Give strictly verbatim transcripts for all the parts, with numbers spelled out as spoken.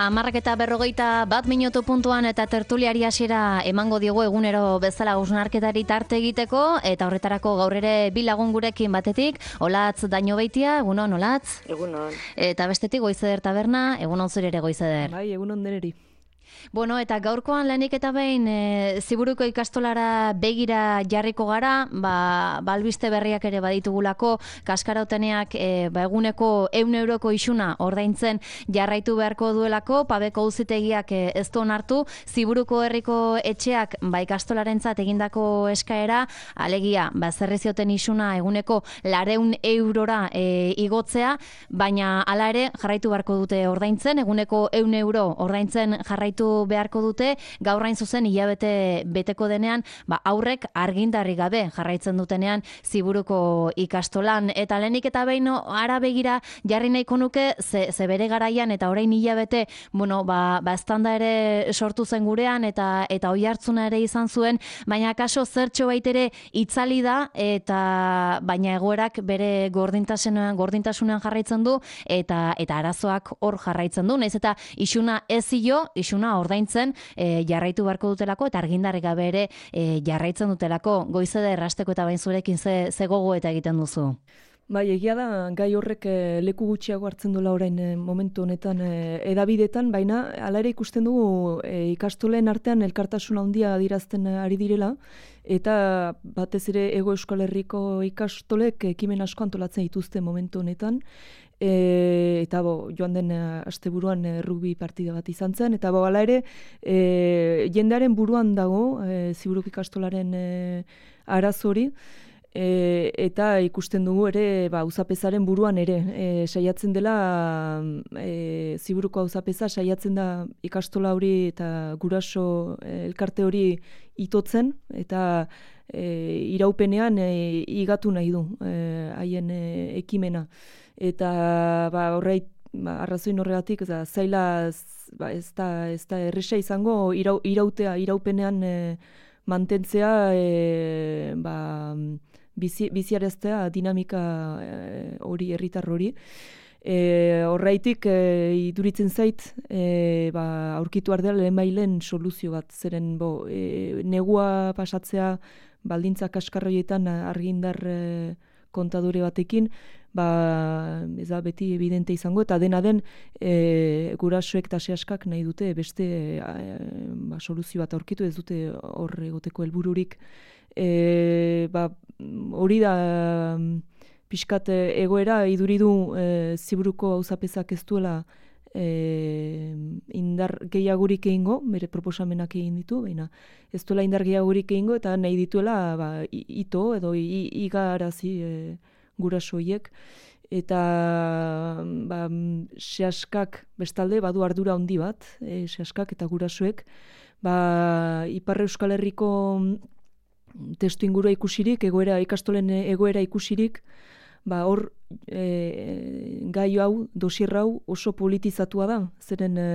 Hamarrak eta berrogeita bat minutu puntuan eta tertuliari hasiera emango diogu egunero bezala hausnarketari tarte egiteko, eta horretarako gaur ere bi lagun gurekin batetik, Olatz Dañobeitia, egunon Olatz. Egunon. Eta bestetik Goizeder Taberna, egunon zure ere Goizeder. Bai, egunon deneri. Bueno, eta gaurkoan lehenik eta behin e, Ziburuko ikastolara begira jarriko gara, ba, balbiste berriak ere baditugulako, kaskarauteneak e, ba, eguneko ehun euroko isuna ordaintzen jarraitu beharko duelako, Pabeko auzitegiak e, ez du onartu, Ziburuko herriko etxeak ba, ikastolarentzat egindako eskaera, alegia, ba, zerri zioten isuna eguneko lareun eurora e, igotzea, baina hala ere jarraitu beharko dute ordaintzen, eguneko ehun euro ordaintzen jarraitu beharko dute, gaur hain zuzen hilabete beteko denean, ba, aurrek argindarri gabe jarraitzen dutenean Ziburuko ikastolan, eta lehenik eta behin ara begira jarri nahiko nuke, ze, ze bere garaian eta orain hilabete, bueno, ba, ba estanda ere sortu zen gurean, eta eta oihartzuna ere izan zuen, baina kaso zertxo baitere itzali da, eta baina egoerak bere gordintasunean, gordintasunean jarraitzen du, eta eta arazoak hor jarraitzen du, naiz eta isuna ez zio, isuna ordaintzen e, jarraitu beharko dutelako, eta argindarrik gabe ere e, jarraitzen dutelako. Goizeder errasteko eta bain zurekin ze, ze gogo eta egiten duzu? Bai, egia da, gai horrek e, leku gutxiago hartzen duela orain e, momentu honetan e, edabidetan, baina hala ere ikusten dugu e, ikastolen artean elkartasuna handia adirazten ari direla, eta batez ere Hego Euskal Herriko ikastolek ekimen asko antolatzen dituzte momentu honetan, E, eta bo, joan den asteburuan e, rugby partida bat izan zen, eta bo, hala ere e, jendearen buruan dago e, Ziburuko ikastolaren e, arazo hori, e, eta ikusten dugu ere ba, auzapezaren buruan ere e, saiatzen dela e, Ziburuko auzapeza saiatzen da ikastola hori eta guraso e, elkarte hori itotzen, eta e, iraupenean e, igatu nahi du haien e, ekimena. Eta ba, horreit, ba, arrazoin horregatik, za, zaila ba, ez da, ez da erresa izango irau, irautea, iraupenean e, mantentzea, e, ba, bizi, biziareztea dinamika hori, e, herritar hori. E, horreitik e, iduritzen zait, e, ba, aurkitu ardela lehen bailen soluzio bat, zeren bo, e, negua pasatzea baldintza kaskarroietan argindar e, kontadore batekin, ba, ez da beti evidente izango, eta dena den e, gurasoek eta sehaskak nahi dute beste e, ba, soluzio bat aurkitu, ez dute hor egoteko helbururik. E, ba, hori da pixkat egoera, iduridu e, Ziburuko auzapezak ez duela e, indar gehiagurik egingo, bere proposamenak egin ditu, baina ez duela indar gehiagurik egingo, eta nahi dituela ba, ito edo igarazi e, gurasoiek, eta ba, sehaskak bestalde badu ardura handi bat, e, sehaskak eta gurasoek, ba, Ipar Euskal Herriko testu ingurua ikusirik, egoera, ikastolen egoera ikusirik, ba, hor e, gai hau, dosier hau oso politizatua da, zeren e,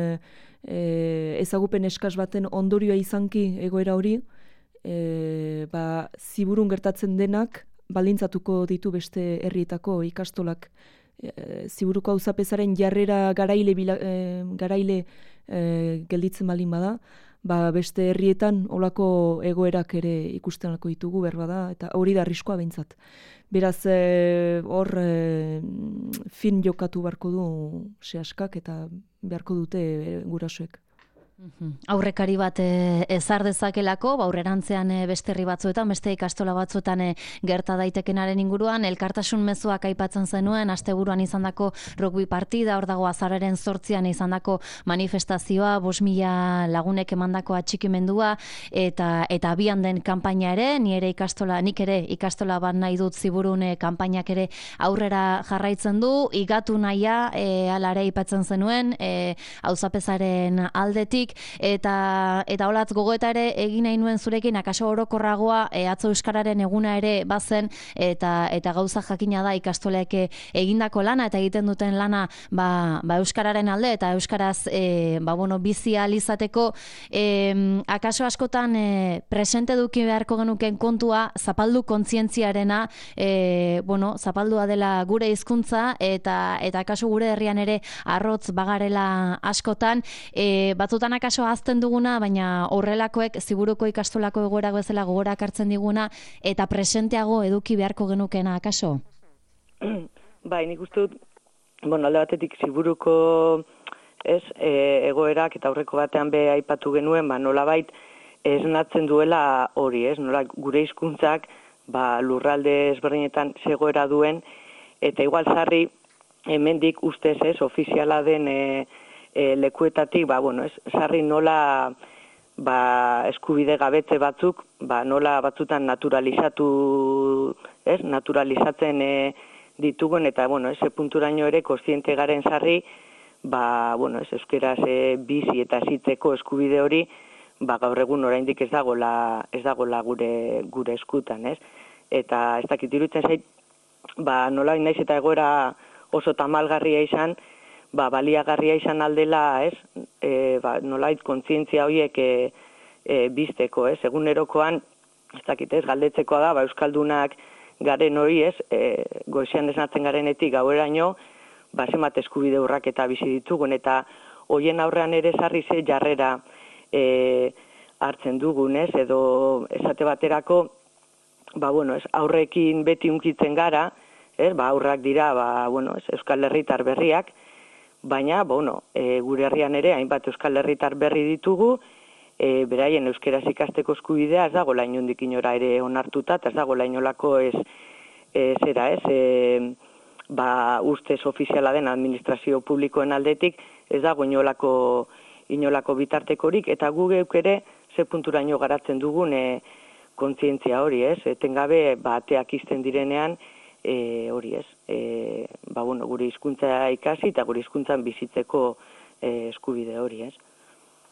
e, ezagupen eskas baten ondorioa izanki egoera hori, e, ba, Ziburun gertatzen denak, balintzatuko ditu beste herrietako ikastolak. E, Ziburuko auzapezaren jarrera garaile, bila, e, garaile e, gelditzen balin bada, ba beste herrietan olako egoerak ere ikusten alko ditugu berba da, eta hori da arriskoa behintzat. Beraz, e, hor e, fin jokatu beharko du sehaskak eta beharko dute e, gurasoek. Aurrekari bat e, ezar dezakelako, ba, aurrerantzean e, beste herri batzuetan, beste ikastola batzuetan e, gerta daitekenaren inguruan, elkartasun mezuak aipatzen zenuen, asteburuan izandako rugby partida, hor dago azararen zortzian izandako manifestazioa, bost mila lagunek emandako atxikimendua, eta eta abian den kanpaina ere, ni ere ikastola, nik ere ikastola bat nahi dut Ziburun e, kanpainak ere aurrera jarraitzen du, igatu nahia, e, ala ere aipatzen zenuen, e, auzapezaren aldetik, batetik, eta eta holatz gogoeta ere egin nahi nuen zurekin, akaso orokorragoa e, atzo euskararen eguna ere bazen, eta eta gauza jakina da ikastolek egindako lana eta egiten duten lana ba, ba euskararen alde eta euskaraz e, ba, bueno, bizi ahal izateko, e, akaso askotan e, presente eduki beharko genuken kontua zapaldu kontzientziarena, e, bueno, zapaldua dela gure hizkuntza eta eta akaso gure herrian ere arrotz bagarela askotan, e, batzutan akaso ahazten duguna, baina horrelakoek ziburuko ikastolako egoerak bezala gogorak hartzen diguna eta presenteago eduki beharko genukena akaso? Bai, nik uste dut, bueno, alde batetik ziburuko ez, e, egoerak eta aurreko batean be aipatu genuen, ba, nolabait esnatzen duela hori, ez, nola gure hizkuntzak ba, lurralde ezberdinetan zegoera duen, eta igual sarri hemendik ustez ez, ofiziala den e, e, lekuetatik, ba, bueno, ez, sarri nola ba, eskubide gabetze batzuk, ba, nola batzutan naturalizatu, ez, naturalizatzen e, ditugun, eta, bueno, ese punturaino ere kontziente garen sarri, ba, bueno, ez, euskeraz e, bizi eta zitzeko eskubide hori, ba, gaur egun oraindik ez dagola, ez dagola gure, gure eskutan, ez? Eta ez dakit iruditzen zait, ba, nola naiz eta egoera oso tamalgarria izan, ba, baliagarria izan aldela, ez? E, ba, nolait kontzientzia horiek e, e, bizteko, ez? Egunerokoan, ez dakit ez, galdetzekoa da, ba, euskaldunak garen hori, ez? E, goizean esnatzen garenetik gaueraino, ba, zenbat eskubide urrak eta bizi ditugun, eta hoien aurrean ere sarri ze jarrera e, hartzen dugun, ez? Edo esate baterako, ba, bueno, ez, aurrekin beti unkitzen gara, ez? Ba, aurrak dira, ba, bueno, ez, Euskal Herritar berriak, baina, bueno, e, gure herrian ere hainbat Euskal Herritar berri ditugu, e, beraien euskeraz ikasteko eskubidea ez dago lain hondik inora ere onartuta, eta ez dago lain olako ez, e, zera ez, e, ba, ustez ofiziala den administrazio publikoen aldetik, ez dago inolako, inolako bitartekorik, eta gu geuk ere ze punturaino garatzen dugun e, kontzientzia hori, ez, etengabe bateak izten direnean, e, hori ez, e, ba, bueno, gure hizkuntza ikasi eta gure hizkuntzan bizitzeko e, eskubide hori, ez.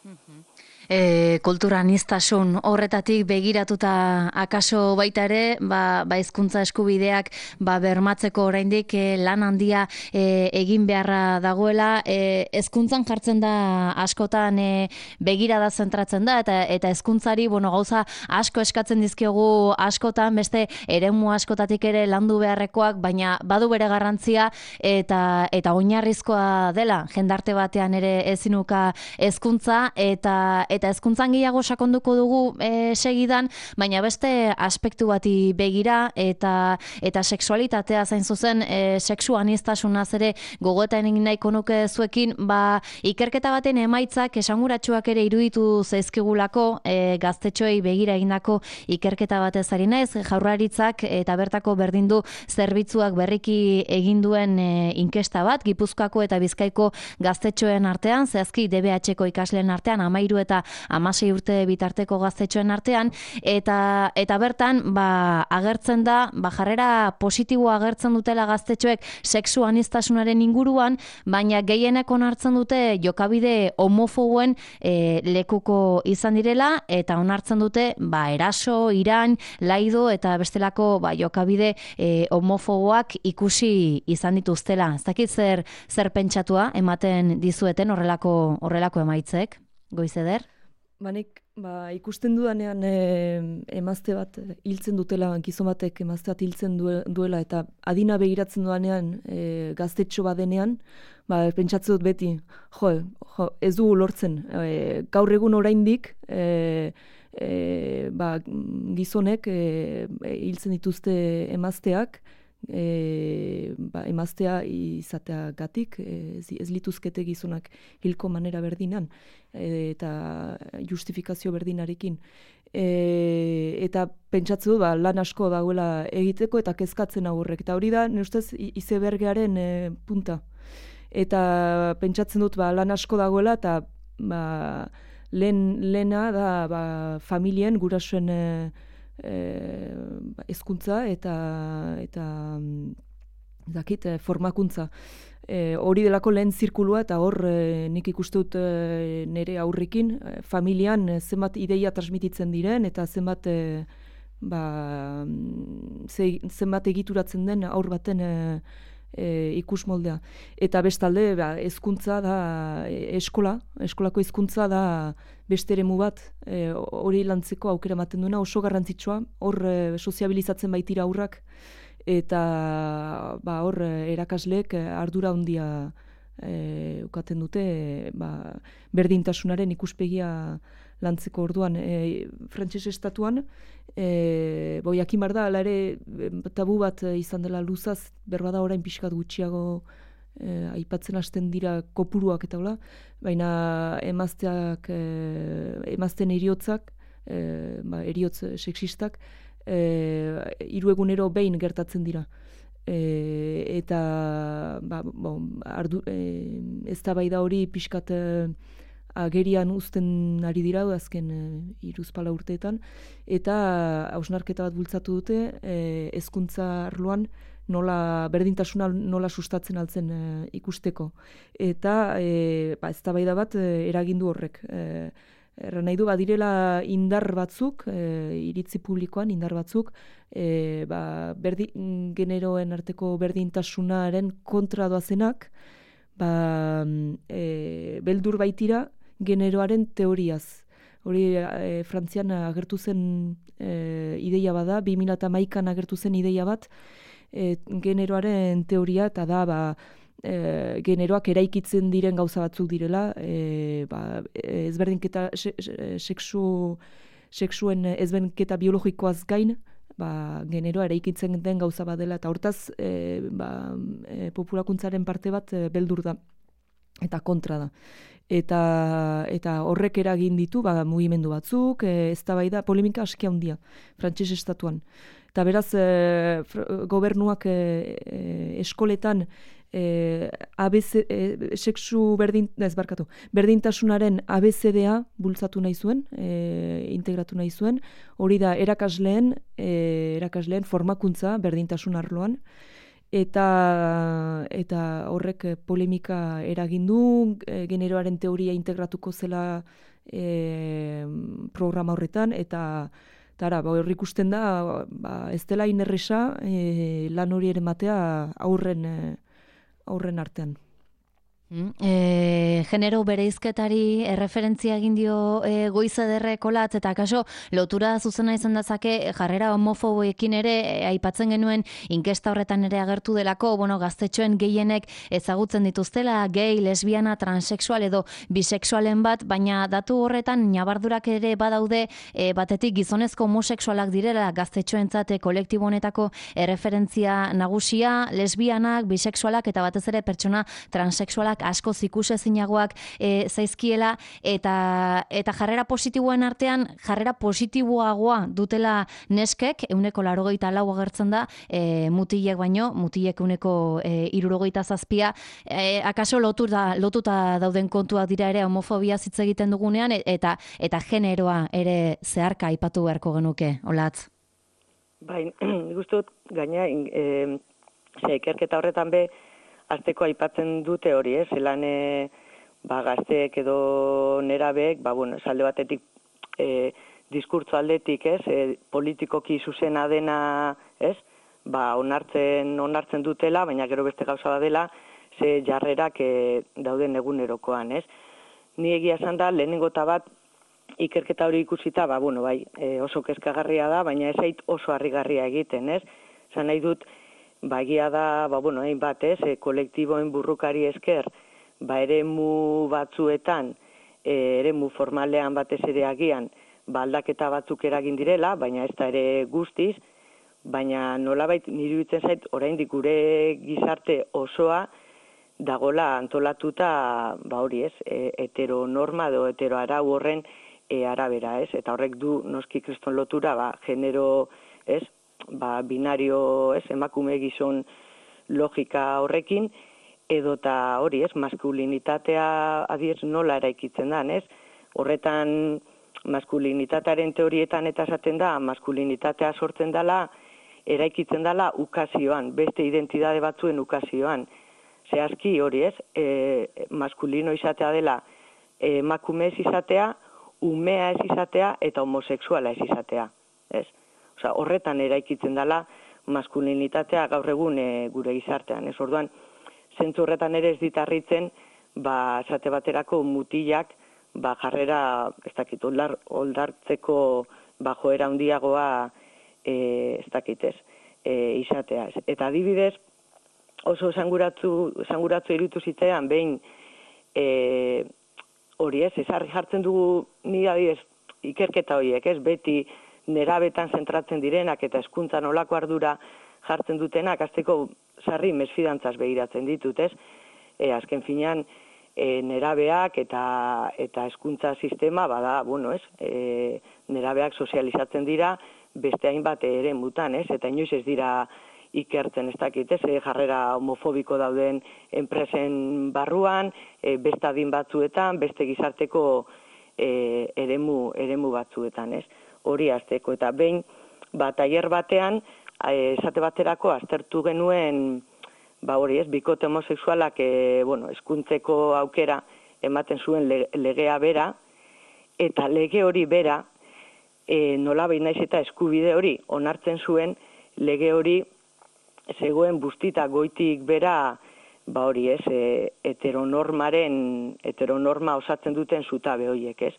Mm-hmm. E, kulturaniztasun horretatik begiratuta akaso baita ere, ba, ba hizkuntza eskubideak ba bermatzeko oraindik e, lan handia e, egin beharra dagoela, e, hezkuntzan jartzen da askotan e, begirada zentratzen da eta eta hezkuntzari bueno gauza asko eskatzen dizkiogu askotan beste eremu askotatik ere landu beharrekoak, baina badu bere garrantzia eta eta oinarrizkoa dela jendarte batean ere ezinuka hezkuntza eta eta hezkuntzan gehiago sakonduko dugu e, segidan, baina beste aspektu bati begira eta eta sexualitatea zain zuzen e, sexu aniztasunaz ere gogoetan egin nahiko nuke zuekin, ba ikerketa baten emaitzak esanguratsuak ere iruditu zaizkigulako e, gaztetxoei begira egindako ikerketa batez ari naiz, Jaurlaritzak eta bertako berdindu zerbitzuak berriki egin duen e, inkesta bat Gipuzkoako eta Bizkaiko gaztetxoen artean, zehazki D B H-ko ikasleen artean hamairu eta hamasei urte bitarteko gaztetxoen artean, eta eta bertan ba, agertzen da, ba, jarrera positiboa agertzen dutela gaztetxoek sexu aniztasunaren inguruan, baina gehienek onartzen dute jokabide homofoboen e, lekuko izan direla, eta onartzen dute ba, eraso, irain, laido eta bestelako ba, jokabide e, homofoboak ikusi izan dituztela. Ez dakit zer, zer pentsatua ematen dizueten horrelako horrelako emaitzek, Goizeder? Banik, ba, ikusten dudanean e, emazte bat hiltzen dutela, gizon batek emazte bat hiltzen duela, eta adina begiratzen dudanean e, gaztetxo badenean, ba, pentsatzen dut beti, jo, jo ez dugu lortzen, e, gaur egun oraindik, e, e, ba, gizonek e, hiltzen dituzte emazteak, E, ba, emaztea izateagatik e, ez lituzkete gizonak hilko manera berdinan e, eta justifikazio berdinarekin e, eta pentsatze du ba, lan asko dagoela egiteko eta kezkatzen agurrek eta hori da nire ustez izebergearen e, punta eta pentsatzen dut ba, lan asko dagoela eta ba, lehen, lehena da ba, familien gurasoen e, hezkuntza eta eta dakit formakuntza E, hori delako lehen zirkulua eta hor e, nik ikuste dut e, nire aurrekin, e, familian e, zenbat ideia transmititzen diren eta zenbat, e, ba, ze, zenbat egituratzen den aur baten e, e, ikus moldea. Eta bestalde ba, hezkuntza da e, eskola, eskolako hezkuntza da beste eremu bat e, hori lantzeko aukera ematen duena oso garrantzitsua, hor e, soziabilizatzen baitira aurrak, eta ba, hor erakasleek ardura handia e, ukaten dute e, ba, berdintasunaren ikuspegia lantzeko orduan. E, Frantses estatuan, e, bo, jakin behar da, ala ere tabu bat izan dela luzaz, berbada orain pixkat gutxiago e, aipatzen hasten dira kopuruak eta hola, baina emazteak, e, emazten eriotzak, e, ba, eriotz sexistak, E, hiru egunero behin gertatzen dira. E, eta ba, bon, ardu, e, eztabaida hori pixkat e, agerian uzten ari dira azken e, hiruzpala urteetan, eta hausnarketa bat bultzatu dute e, hezkuntza arloan nola berdintasuna nola sustatzen altzen e, ikusteko. Eta e, ba, eztabaida bat e, eragindu horrek. E, Erra nahi du, badirela indar batzuk, e, iritzi publikoan indar batzuk, e, ba, berdi, generoen arteko berdintasunaren kontra doazenak, ba, e, beldur baitira generoaren teoriaz. Hori e, Frantzian agertu zen e, ideia bada, bi mila hamaikan agertu zen ideia bat, e, generoaren teoria, eta da, ba, E, generoak eraikitzen diren gauza batzuk direla, e, ba, ezberdinketa se, sexu, sexuen ezberdinketa biologikoaz gain, ba, generoa eraikitzen den gauza bat dela, eta hortaz e, ba, e, populakuntzaren parte bat e, beldur da eta kontra da. Eta, eta horrek eragin ditu ba, mugimendu batzuk, e, eztabaida polemika aski handia Frantses estatuan. Eta beraz, e, gobernuak e, e, eskoletan E, A B C, e, sexu berdin, ez barkatu, berdintasunaren A B C D A bultzatu nahi zuen, e, integratu nahi zuen, hori da erakasleen, e, erakasleen formakuntza berdintasun arloan, eta, eta horrek polemika eragindu, e, generoaren teoria integratuko zela e, programa horretan, eta Tara, ba, horrik ikusten da, ba, ez dela inerresa e, lan hori ere matea aurren e, aurren artean. E, genero bereizketari erreferentzia egin dio e, Goiz Ederrek Olatz, eta kaso lotura zuzena izan dezake jarrera homofoboekin ere e, aipatzen genuen inkesta horretan ere agertu delako, bueno, gaztetxoen gehienek ezagutzen dituztela gay, lesbiana, transexual edo bisexualen bat, baina datu horretan nabardurak ere badaude, e, batetik gizonezko homosexualak direla gaztetxoentzat kolektibo honetako erreferentzia nagusia, lesbianak, bisexualak eta batez ere pertsona transexualak asko ikusezinagoak e, zaizkiela, eta eta jarrera positiboen artean jarrera positiboagoa dutela neskek, ehuneko laurogeita lau agertzen da, e, mutilek baino, mutilek ehuneko e, hirurogeita zazpia, e, akaso lotuta, lotuta dauden kontuak dira ere homofobia hitz egiten dugunean, eta eta generoa ere zeharka aipatu beharko genuke, Olatz. Bai, gustot gaina e, ikerketa horretan be azteko aipatzen dute hori, ez, zelan e, ba, gazteek edo nerabeek, ba, bueno, esalde batetik e, diskurtso aldetik, ez, e, politikoki zuzena dena, ez, ba, onartzen, onartzen dutela, baina gero beste gauza dela, ze jarrerak e, dauden egunerokoan, ez. Ni egia esan da, lehenengo eta bat, ikerketa hori ikusita, ba, bueno, bai, e, oso kezkagarria da, baina ez zait oso harrigarria egiten, ez. Zan nahi dut, ba, egia da, ba, bueno, egin bat, ez, e, kolektiboen burrukari esker, ba, eremu batzuetan, e, eremu formalean batez ere agian, ba, aldaketa batzuk eragin direla, baina ez da ere guztiz, baina nolabait niri iruditzen zait, oraindik gure gizarte osoa dagola antolatuta, ba, hori ez, e, heteronorma edo heteroarau horren e, arabera, ez, eta horrek du noski kriston lotura, ba, genero, ez, ba, binario, ez, emakume gizon logika horrekin, edota hori, ez, maskulinitatea adiez nola eraikitzen da, ez, horretan maskulinitatearen teorietan eta esaten da, maskulinitatea sortzen dela, eraikitzen dela ukazioan, beste identitate batzuen ukazioan. zehazki hori ez, e, maskulino izatea dela emakume ez izatea, umea ez izatea eta homosexuala ez izatea. Ez? Osea, horretan eraikitzen dela maskulinitatea gaur egun e, gure gizartean. Ez orduan, zentzu horretan ere ez ditarritzen, ba, esate baterako mutilak, ba, jarrera, ez dakit, oldar, oldartzeko ba, joera handiagoa e, ez dakit ez, e, izatea. Ez? Eta adibidez, oso esanguratzu, esanguratzu irutu zitzean, behin, e, hori ez, ezarri jartzen dugu ni adibidez ikerketa horiek, ez, beti nerabetan zentratzen direnak eta hezkuntza nolako ardura jartzen dutenak, azteko sarri mesfidantzaz begiratzen ditut, ez, e, azken finean, e, nerabeak eta eta hezkuntza sistema, bada, bueno, ez, e, nerabeak sozializatzen dira, beste hainbat ere mutan, ez, eta inoiz ez dira ikertzen, ez dakit, ez, jarrera homofobiko dauden enpresen barruan, e, beste adin batzuetan, beste gizarteko e, eremu, eremu batzuetan, ez, hori azteko. Eta behin, ba, tailer batean, e, esate baterako aztertu genuen, ba hori ez, bikote homosexualak, e, bueno, hezkuntzeko aukera ematen zuen le, legea bera, eta lege hori bera, e, nola behin naiz eta eskubide hori onartzen zuen, lege hori zegoen bustita goitik bera, ba hori ez, e, heteronormaren, heteronorma osatzen duten zutabe horiek, ez?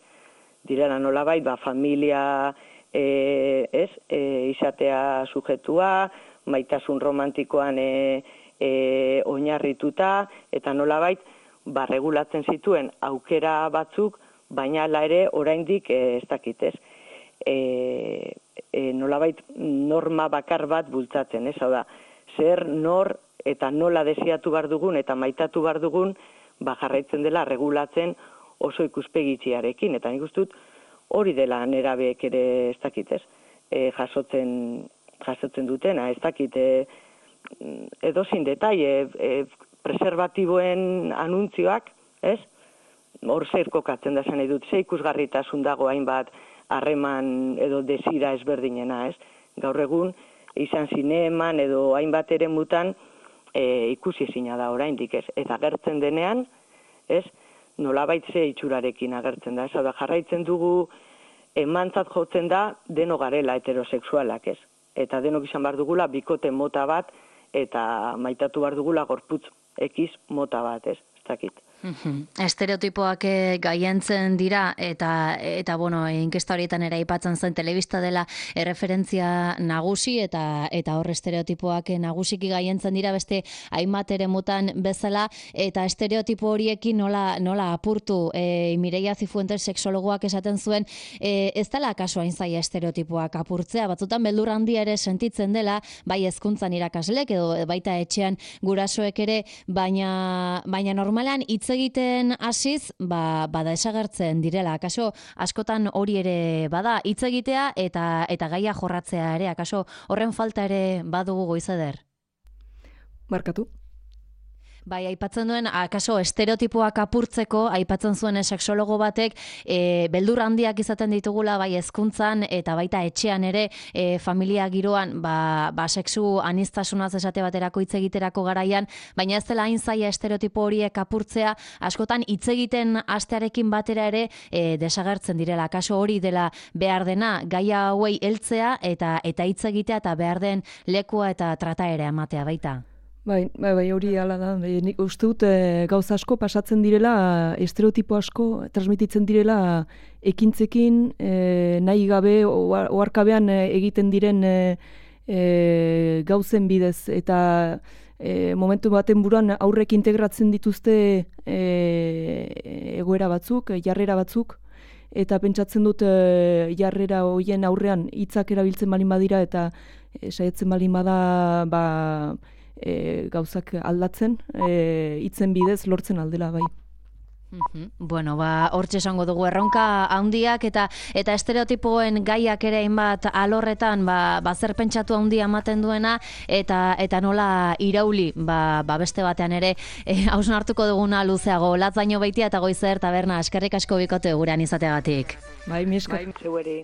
Direla nolabait, ba, familia, e, ez, e, izatea sujetua, maitasun romantikoan e, e, oinarrituta, eta nolabait, ba, regulatzen zituen aukera batzuk, baina hala ere oraindik e, ez dakit, ez? E, e, nolabait norma bakar bat bultzatzen, ez? Hau da, zer, nor eta nola desiatu behar dugun eta maitatu behar dugun, ba, jarraitzen dela regulatzen oso ikuspegitziarekin. Eta nik uste dut hori dela nerabeek ere ez dakit, ez? E, jasotzen, jasotzen dutena, ez dakit, e, edozin detaile, e, preservatiboen anuntzioak, ez? Hor zer kokatzen da zen edut, ze ikusgarritasun dago hainbat harreman edo desira ezberdinena, ez? Gaur egun, izan zineman edo hainbat ere mutan e, ikusi ezina da oraindik, ez? Eta agertzen denean, ez? Nolabait ze itxurarekin agertzen da, ez? Da jarraitzen dugu emantzat jotzen da deno garela heterosexualak, ez? Eta denok izan behar dugula bikote mota bat eta maitatu behar dugula gorputz ekiz mota bat, ez? Ez dakit. Estereotipoak gaientzen dira eta eta bueno, inkesta horietan ere aipatzen zen telebista dela erreferentzia nagusi eta eta hor estereotipoak nagusiki gaientzen dira beste hainbat eremutan bezala eta estereotipo horiekin nola nola apurtu e, Mireia Cifuentes sexologoak esaten zuen e, ez dela kaso hain zaila estereotipoak apurtzea, batzutan beldur handia ere sentitzen dela, bai hezkuntzan irakaslek edo baita etxean gurasoek ere, baina baina normalan hitz egiten hasiz, ba, bada esagertzen direla. Akaso askotan hori ere bada hitz egitea eta eta gaia jorratzea ere. Akaso horren falta ere badugu Goizeder? Markatu. Bai, aipatzen duen, akaso estereotipoak apurtzeko, aipatzen zuen sexologo batek, e, beldur handiak izaten ditugula, bai hezkuntzan eta baita etxean ere, e, familia giroan, ba, ba sexu aniztasunaz esate baterako hitz egiterako garaian, baina ez dela hain zaila estereotipo horiek apurtzea, askotan hitz egiten hastearekin batera ere e, desagertzen direla. Akaso hori dela behar dena, gaia hauei heltzea eta eta hitz egitea eta behar den lekua eta trataera ematea baita. Bai, bai, bai, hori hala da. Nik uste dut e, gauza asko pasatzen direla, estereotipo asko transmititzen direla ekintzekin, e, nahi gabe, oharkabean egiten diren e, e, gauzen bidez. Eta e, momentu baten buruan aurrek integratzen dituzte e, egoera batzuk, jarrera batzuk, eta pentsatzen dut e, jarrera hoien aurrean hitzak erabiltzen balin badira eta e, saiatzen balin bada, ba, E, gauzak aldatzen, e, hitzen bidez lortzen aldela bai. Mm-hmm. Bueno, ba, hortxe esango dugu erronka handiak eta eta estereotipoen gaiak ere hainbat alorretan ba, ba zer pentsatu handia ematen duena eta eta nola irauli ba, ba beste batean ere hausnartuko e, duguna luzeago. Latzaino baitia eta Goizer taberna eskerrik asko bikote gurean izateagatik. Bai, mi esker. Bai, zeueri.